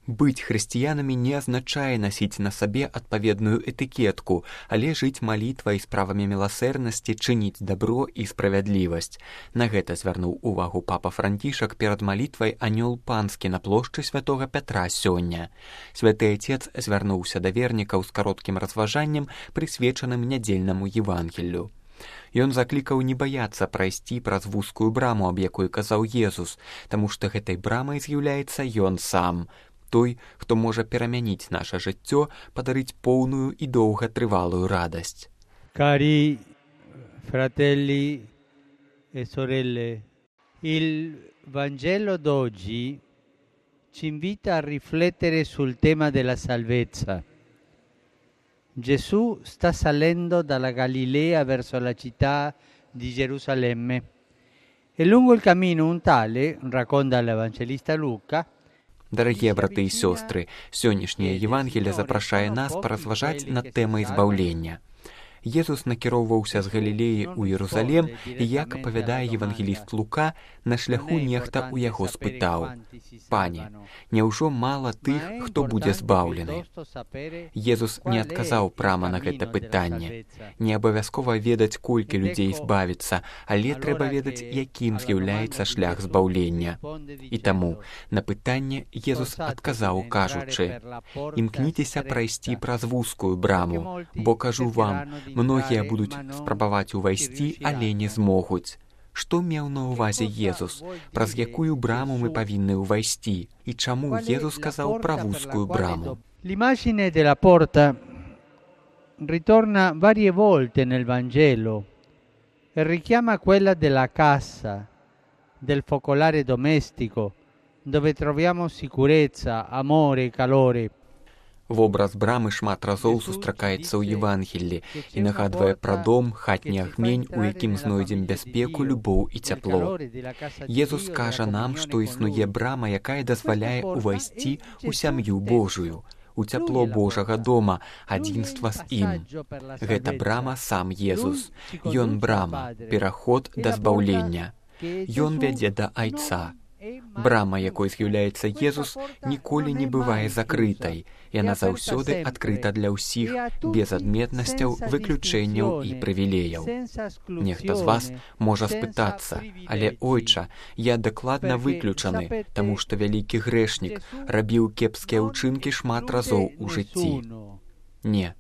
Быць хрысціянамі не азначае насіць на сабе адпаведную этыкетку, але жыць малітвай, справамі міласэрнасці, чыніць дабро і справядлівасць. На гэта звярнуў увагу папа Францішак перад малітвай анёл панскі на плошчы святога Пятра сёння. Святы Отец звярнуўся да вернікаў з кароткім разважаннем, прысвечаным нядзельнаму Евангеллю. Ён заклікаў не баяцца прайсці праз вузкую браму, аб якой казаў Езус, таму што гэтай брамай з'яўляецца ён сам. Той, хто можа перамяніць наша жыццё, падарыць поўную і доўгатрывалую радасць. Cari fratelli e sorelle, il Vangelo d'oggi ci invita a riflettere sul tema della salvezza. Gesù sta salendo dalla Galilea verso la città di Gerusalemme e lungo il cammino un tale, racconta l'Evangelista Luca, Дарагія браты і сёстры, сённяшняе Евангелие запрашае нас паразважаць над тэмай збаўлення. Езус накіроўваўся з Галілеі ў Єрусалем, і, як апавядае евангеліст Лука, на шляху нехта ў яго спытаў: «Пане, няўжо мала тых, хто будзе збаўлены?» Езус не адказаў прама на гэта пытанне. Не абавязкова ведаць, колькі людзей збавіцца, але трэба ведаць, якім з'яўляецца шлях збаўлення. І таму на пытанне Езус адказаў, кажучы: «Імкніцеся прайсці праз вузкую браму, бо, кажу вам, многія будуць спрабаваць увайсці, але не змогуць». Што меў на ўвазе Езус? Праз якую браму мы павінны ўвайсці? І чаму Езус сказаў пра вузкую браму? L'immagine della porta ritorna varie volte nel Vangelo e richiama quella della casa, del focolare domestico, dove troviamo sicurezza, amore e calore. Вобраз брамы шмат разоў сустракаецца ў Евангеллі і нагадвае пра дом, хатні агмень, у якім знойдзем бяспеку, любоў і цяпло. Езус кажа нам, што існуе брама, якая дазваляе ўвайсці ў сям'ю Божую, у цяпло Божага дома, адзінства з ім. Гэта брама сам Езус. Ён брама, пераход да збаўлення. Ён вядзе да Айца. Брама, якой з'яўляецца Езус, ніколі не бывае закрытай. Яна заўсёды адкрыта для ўсіх, без адметнасцяў, выключэнняў і прывілеяў. Нехта з вас можа спытацца: «Але, ойча, я дакладна выключаны, таму што вялікі грэшнік, рабіў кепскія ўчынкі шмат разоў у жыцці». Не,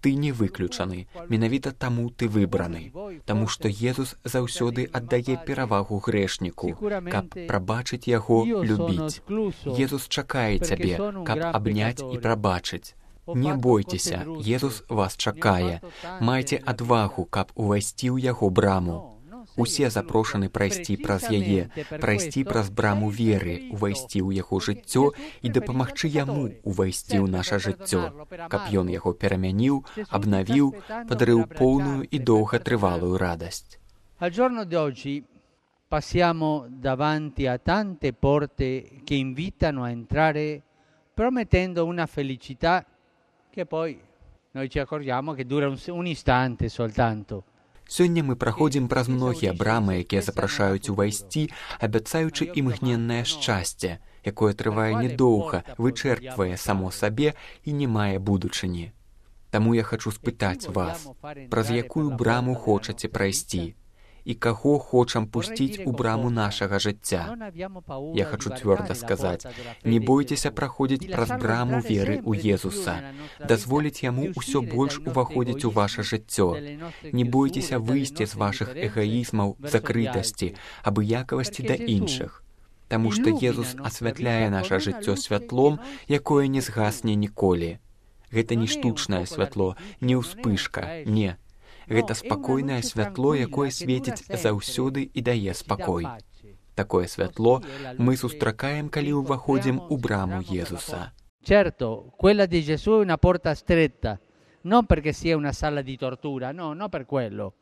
ты не выключаны, менавіта таму ты выбраны, таму што Езус заўсёды аддае перавагу грэшніку, каб прабачыць яго, любіць. Езус чакае цябе, каб абняць і прабачыць. Не бойцеся, Езус вас чакае. Майце адвагу, каб увайсці ў яго браму. Усе запрошаны прайсці праз яе, прайсці праз браму веры, увайсці ў яго жыццё і дапамагчы яму увайсці ў наша жыццё, каб ён яго перамяніў, абнавіў, падарыў поўную і доўгатрывалую радасць. Al giorno d'oggi passiamo davanti a tante porte che invitano a entrare promettendo una felicità che poi noi ci accorgiamo che dura un istante soltanto. Сёння мы праходзім праз многія брамы, якія запрашаюць увайсці, абяцаючы імгненнае шчасце, якое трывае недоўга, вычэрпвае само сабе і не мае будучыні. Таму я хачу спытаць вас, праз якую браму хочаце прайсці? І каго хочам пусціць у браму нашага жыцця? Я хачу цвёрда сказаць: не бойцеся праходзіць праз браму веры ў Езуса, дазволіць яму ўсё больш уваходзіць у ваша жыццё. Не бойцеся выйсці з вашых эгаізмаў, закрытасці, абыякавасці да іншых. Таму што Езус асвятляе наша жыццё святлом, якое не згасне ніколі. Гэта не штучнае святло, не ўспышка, не. Гэта спакойнае святло, якое свеціць заўсёды і дае спакой. Такое святло мы сустракаем, калі ўваходзім у браму Езуса. Certo, quella di Gesù è una porta stretta, non perché sia una sala di tortura, no, non per quello,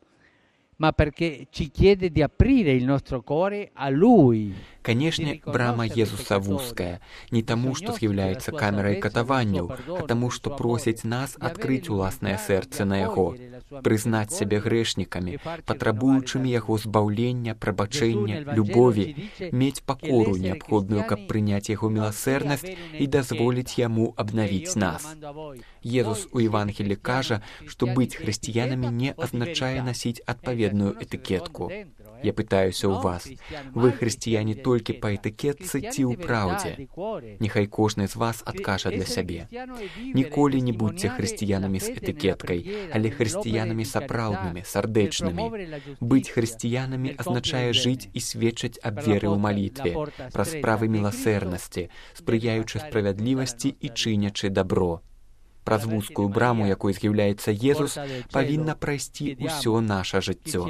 ma perché ci chiede di aprire il nostro cuore a Lui. Канешне, брама Езуса вузкая, не таму, што з'яўляецца камерай катаванняў, а таму, што просіць нас адкрыць уласнае сэрцы на яго, прызнаць сябе грэшнікамі, патрабуючымі яго збаўлення, прабачэння, любові, мець пакору неабходную, каб прыняць яго міласэрнасць і дазволіць яму абнавіць нас. Езус у Евангелі кажа, што быць хрысціянамі не азначае насіць адпаведную этыкетку. Я пытаюся ў вас, вы хрысціяне толькі па этыкетцы ці ў праўдзе? Няхай кожны з вас адкажа для сябе. Ніколі не будзьце хрысціянамі з этыкеткай, але хрысціянамі сапраўднымі, сардэчнымі. Быць хрысціянамі азначае жыць і сведчыць аб веры ў малітве, праз справы міласэрнасці, спрыяючы справядлівасці і чынячы дабро. Праз вузкую браму, якой з'яўляецца Езус, павінна прайсці ўсё наша жыццё.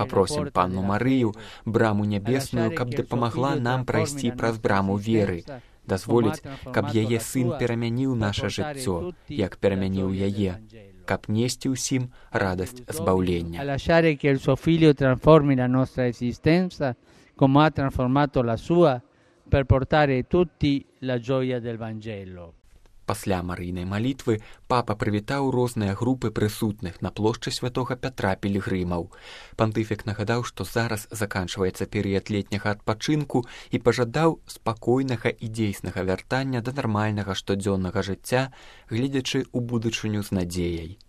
Папросім Панну Марыю, браму нябесную, каб дапамагла нам прайсці праз браму веры, дазволіць, каб яе сын перамяніў наша жыццё, як перамяніў яе, каб несці ўсім радасць збаўлення. Lasciare che il suo figlio trasformi la nostra esistenza come ha trasformato la sua per portare tutti la gioia del Vangelo. Пасля марыйнай малітвы папа прывітаў розныя групы прысутных на плошчы святога Пятра пілігрымаў. Пантыфік нагадаў, што зараз заканчваецца перыяд летняга адпачынку і пажадаў спакойнага і дзейснага вяртання да нармальнага штодзённага жыцця, гледзячы ў будучыню з надзеяй.